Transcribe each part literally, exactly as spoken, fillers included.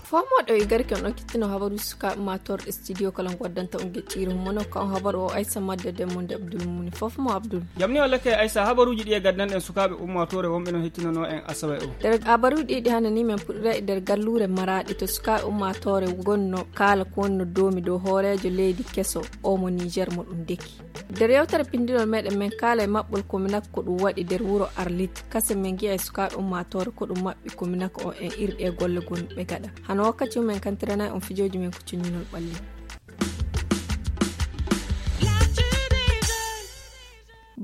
Fomoɗo e garke on okkitino habaru sukaaɓe ma torɗe studio kala goddanta on gecciri mono kan habaru o aysa madde demmonde abdul muni fof mo abdul. Jamni walla kay aysa habaruji ɗi e gaddanɗen sukaaɓe ummatore wonɓe no hettinano en asawe o. Nder habaruji ɗiɗi hannde ni men puɗɗira e nder galluure maraɗi to sukaaɓe ummatore gonno kala ko wonno domi dow hoorejo leydi keso o mo niger mo ɗum deki. Nder yewtere pinndinol meɗen men kaala e maɓɓol kominak ko ɗum waɗi nder wuro arlit kase men ngiya e sukaaɓe ummatore ko ɗum maɓɓi kominak o en irɗi e golle gonɓe gaɗa hano wakkati mumen kantiranay on fijooji men ko cinninol ɓalli.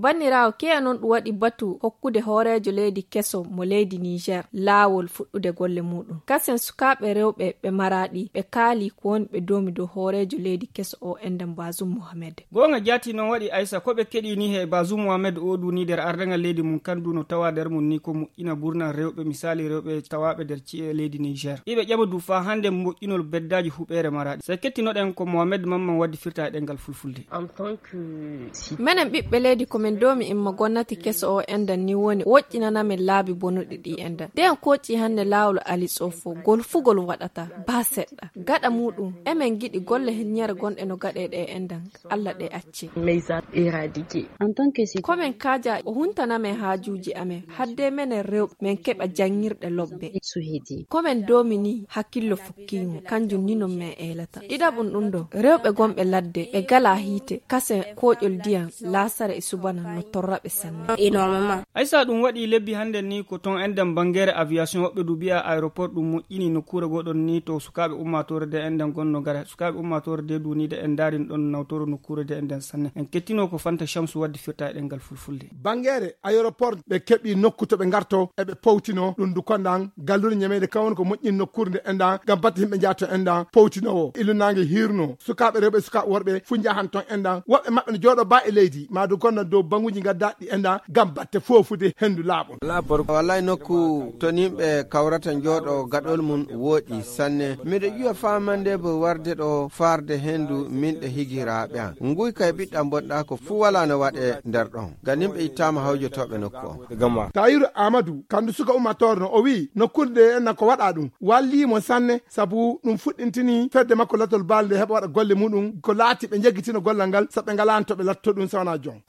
Banniraawo keya noon ɗum waɗi batu hokkude hooreejo leydi keso mo leydi niger laawol fuɗɗude golle muɗum kasen sukaaɓe rewɓe ɓe maraɗi ɓe kaali ko woni ɓe domi dow hooreejo leydi keso o enden bazum mohamed. Goonga jaati noon waɗi aysa ko ɓe keɗii ni he bazum mohamed o duni nder ardagal leydi mum kandu no tawa nder mum ni ko moƴƴina gurnal rewɓe misali rewɓe tawaaɓe nder ci'e leydi niger iɓe ƴama du faa hannde moƴƴinol beddaaji huɓeere maraɗi so kettinoɗen ko mohamed mamman waddi firta e ɗengal fulfulde. Menen ɓiɓɓe leydi ko min doomi imma gonnati keso o endan ni woni woƴƴinana min laabi bonuɗi ɗi endan nden koci hannde laawol ali tsofo gol fugol waɗata ba seɗɗa gaɗa muɗum emen giɗi golle hilñere gonɗe no gaɗeɗe e endan allah ɗe acce. Komin kaaja o huntana men haajuuji amen hadde menen rewɓe men keɓa janngirɗe lobbe. Komin doomi ni hakkillo fukkimo kanjum ni non men eelata ɗiɗaɓum ɗum ɗo rewɓe gonɓe ladde ɓe gala hiite kase koƴol ndiyam laasara e subana no torra ɓe sanne. Aysa ɗum waɗi lebbi hannden ni ko ton enɗam banngeere aviation woɓɓe du mbiya aéroport ɗum moƴƴini nokkuure goɗon ni to sukaaɓe ummaatoore de enɗam gonno gara sukaaɓe ummaatoore de duniide en ndaarin ɗon nawtoro nokkuure de enɗam sanne en kettino ko fanta chamsu wadde firta e ɗemngal fulfulde. Banngeere aéroport ɓe keɓi nokku to ɓe ngarto eɓe powtino ɗum du kondan galluure ñameede kawon ko moƴƴin nokkuure nde enɗam ngam batte yimɓe njaato enɗam powtinowo illunaange hiirno sukaaɓe rewɓe e sukaaɓe worɓe fuu njahan ton enɗam woɓɓe maɓɓe no jooɗo ba e leydi maa du gonno dow baŋuuji ngaddaɗi enɗam ngam batte foofude henndu laaɓol. Wallay nokku to nimɓe kawrata njooɗo gaɗol mum wooɗi sanne miɗo ƴuwa famande bo warde ɗo farde henndu min ɗe higiraaɓe am nguy kay ɓiɗɗam bonɗa ko fuu wala no waɗe nder ɗon ngam nimɓe ittaama hawjotooɓe nokku on. Tayiru amadu kandu suka ummatore no o wi'i nokkuure nde enna ko waɗa ɗum wallii mo sanne sabu ɗum fuɗɗintini fedde makko latol baali nde heɓa waɗa golle muɗum ko laati ɓe njeggitina gollal ngal sabu ɓe ngalano to ɓe latto ɗum sewna jon.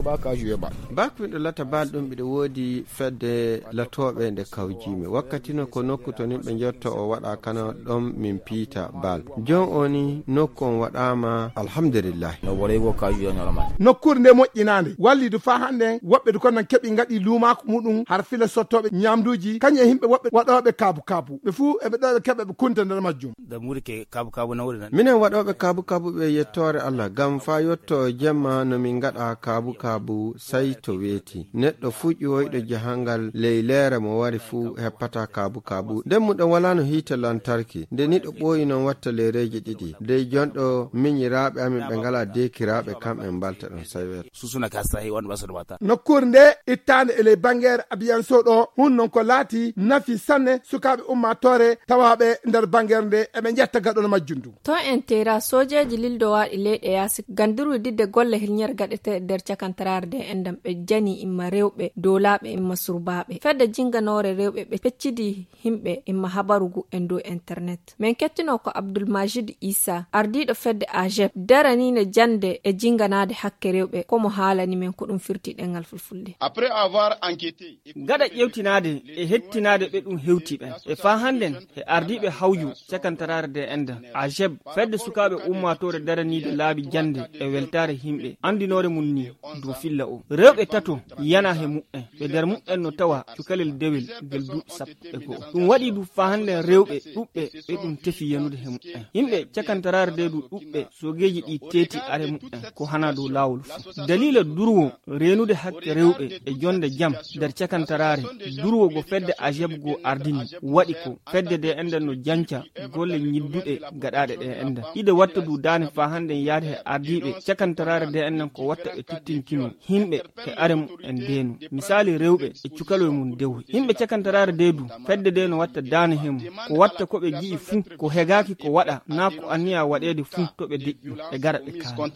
Bakumiɗo latta baali ɗum mbiɗo woodi fedde latooɓe nde kawjiimi wakkati no ko nokku to nimɓe njotto o waɗa kana ɗon min piita baal jon o ni nokku on waɗaama alhamdulillahi. Nokkuure nde moƴƴinaande wallidu faa hannden woɓɓe du konnan keɓi ngaɗi luumaaku muɗum har fila sottooɓe ñaamduuji kañum e yimɓe woɓɓe waɗooɓe kaabu kaabu ɓe fuu eɓe ɗo ɓe keɓa ɓe kunta nder majjum. Minen waɗooɓe kaabu kaabu ɓe yettoore allah ngam faa yotto jemma no min ngaɗa kaabu kaabu sey to weeti neɗɗo fuu ƴuwoyɗo jahangal ley leere mo wari fuu heppata kaabu kaabu nden muɗum walaano hiite lantarki nde niɗo ɓooyi noon watta leereeji ɗiɗi dey jonɗo miñiraaɓe amin ɓe ngalaa deekiraaɓe kamɓe mbalta ɗum sey weeto. Nokkuure nde ittaande e ley banngeere abiyanso ɗo hun noon ko laati nafi sanne sukaaɓe ummaatoore tawaaɓe nder banngeere nde eɓe njetta gaɗol majjum ndu. To en teera soojeeji lildowaaɗi leyɗe yaasi gandirwi didde golle hilñere gaɗeteeɗe nder cakantaraare nde enɗam ɓe jani imma rewɓe doolaaɓe imma surbaaɓe fedde jinnganoore rewɓe ɓe peccidi yimɓe imma habaru ngu e dow internet men kettino ko abdulmajid isa ardiiɗo fedde ajeb daraniino jannde e jinnganaade hakke rewɓe ko mo haalani men ko ɗum firti ɗemngal fulfulde. Gaɗa ƴeewtinaade e hettinaade ɓe ɗum hewti ɓen e faa hannden e ardiiɓe hawju cakantaraare de enɗam ajeb fedde sukaaɓe ummaatoore daraniide laabi jannde e weltaare yimɓe anndinoore mum ni dow filla o rewɓe tato yana he muɓɓen ɓe nder muɓɓen no tawa cukalel dewel ngel duuɓi sappo e go'o ɗum waɗi du faa hannden rewɓe ɗuɓɓe ɓe ɗum tefi yanude he muɓɓen yimɓe cakantaraare de du ɗuɓɓe soogeeji ɗi teeti are muɓɓen ko hana dow laawol fuu daliila durwo reenude hakke rewɓe e jonnde jam nder cakantaraare durwo go fedde ajeb go ardini waɗi ko fedde de enɗam no janca golle ñidduɗe gaɗaaɗe ɗe enɗam ide watta du daane faa hannden yaade he ardiiɓe cakantaraare de enɗam ko watta ɓe tittinkino Yimɓe e arem en deenu. Misaali rewɓe e cukaloy mum dewu. Yimɓe cakantaraare deedu, fedde de no watta daana hemu. Ko watta ko ɓe ji'i fuu, ko hegaaki ko waɗa, naa ko anniya waɗeede fuu to ɓe deƴƴu, ɓe gara ɓe kaala.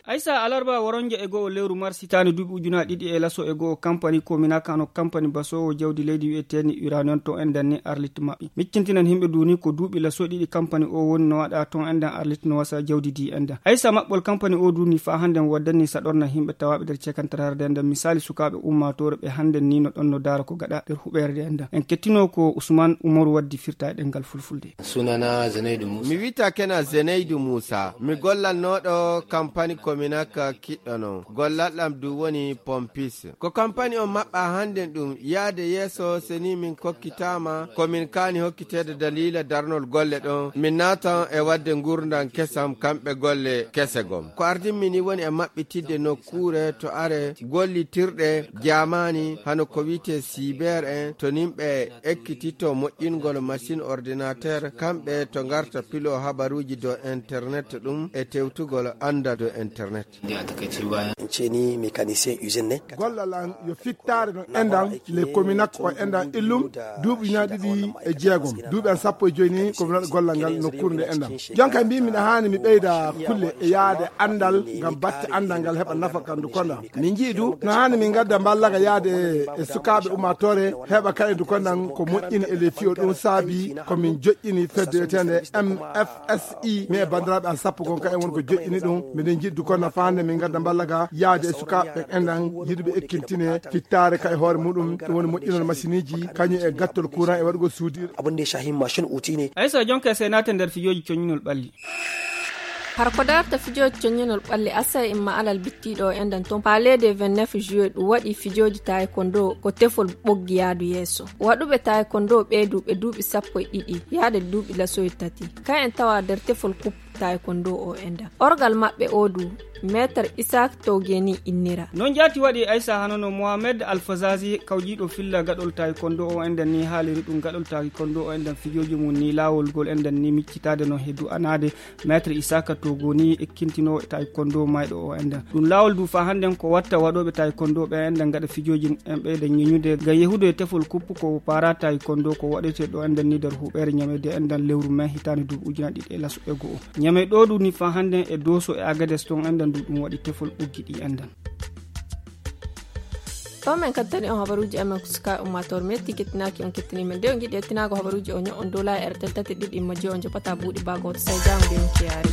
Aysa alarba waronja e go'o lewru mars hitaande duuɓi ujunaaji ɗiɗi e laso e go'o kampani kominaka no kampani basoowo jawdi leydi wi'eteeni uranion to endan ni arlit maɓɓi. Miccintinan himɓe duuni ko duuɓi laso ɗiɗi kampani o woni no waɗa ton endan arlit no wasa jawdi di endan. Aysa maɓɓol kampani o duuni faa hande waddani saɗorna himɓe tawaaɓe nder cekantararde endan. Misaali sukaaɓe ummaatoore ɓe hande ni no ɗon no daara ko gaɗa nder huɓeere de endan. En kettino ko Usman Umaru waddi firta e ɗengal fulfulde. Sunana Zanaidu Musa. Mi wita kena Zanaidu Musa. Mi gollannooɗo kampani Kominaka kiɗɗo non. Gollal ɗam du woni pompis. Ko kampani on maɓɓa hannden ɗum yaade yeeso, seni min kokkitaama ko min kaani hokkiteede daliila darnol golle ɗon. Min naatan e wadde ngurndan kesam kamɓe golle kese gom. Ko ardimmi ni woni e maɓɓitidde nokkuure to are gollitirɗe jaamaani hano ko wi'etee siber en, to nimɓe ekkititto moƴƴingol machine ordinateur, kamɓe to ngarta pilo habaruuji dow internet ɗum e tewtugol anndal dow internet. Ceni mécanicien usine ne. Gollal an yo fittaare no endan le kominak o endan illum duuɓi ñaa ɗiɗi e jeegom. Duuɓi an sappo e joyi ni ko mi waɗa gollal ngal nokkuure nde endan. Jonka mbi miɗa haani mi ɓeyda kulle e yaade anndal ngam batte anndal ngal heɓa nafa kandu konda. Min njii du no haani min ngadda mballaga yaade e sukaaɓe ummaatoore heɓa kayendu kondan ko moƴƴini e le fiyo ɗum saabi ko min joƴƴini fedde wi'eteende M F S I. Mi e banndiraaɓe an sappo gon ka en won ko joƴƴini ɗum. Miɗen jiɗdu kono faande min ngadda mballaga yaade e sukaaɓe endan yiɗuɓe ekkintine fittaare ka e hoore muɗum ɗum woni moƴƴinol machine iji kañum e gattol courant e waɗugol suudir. Abin da ya shahi mashin uti ne. Aysa jonka e seenaate nder fijooji coñinol ɓalli. Har ko darta fijooji coñinol ɓalli asa imma alal bittiiɗo o endan ton palais de vingt-neuf juillet ɗum waɗi fijooji taekwondo ko tefol ɓoggi yaadu yeeso. Waɗuɓe taekwondo ɓee du ɓe duuɓi sappo e ɗiɗi yaade duuɓi lasoy tati. Ka en tawa nder tefol kup taekwondo o endan. Orgal maɓɓe o du, maître Isaac Togeni innira. Non jaati waɗi Aysa hanono Mohamed Alfazazi kawjiiɗo filla gaɗol taekwondo o endan ni haaliri ɗum gaɗol taekwondo o endan fijooji mum ni laawol gol endan ni miccitaade no he du'anaade. Maître Isaka Togoni ekkintinoowo taekwondo mayɗo o endan. Ɗum laawol du faa hannden ko watta waɗooɓe taekwondo ɓe endan gaɗa fijooji en ɓeyda ñeñude ngam yehude e tefol kuppu ko para taekwondo ko waɗetee ɗo endan ni nder huɓeere ñamede endan lewru mai hitaande duuɓi ujunaaji ɗiɗi e laso e go'o. Ñame ɗo du ni faa hannden e Dooso e Agades ton endan du ɗum waɗi tefol ɓoggi ɗi endan. Ɗo men kaddani on habaruuji amen ko suka ummaatoore metti kettinaaki on kettini men de on jiɗi ettinaago habaruuji o ño'on dola e R T L tati ɗiɗi majji on joppata buuɗi baago on to sai jaamu de on ciyaari.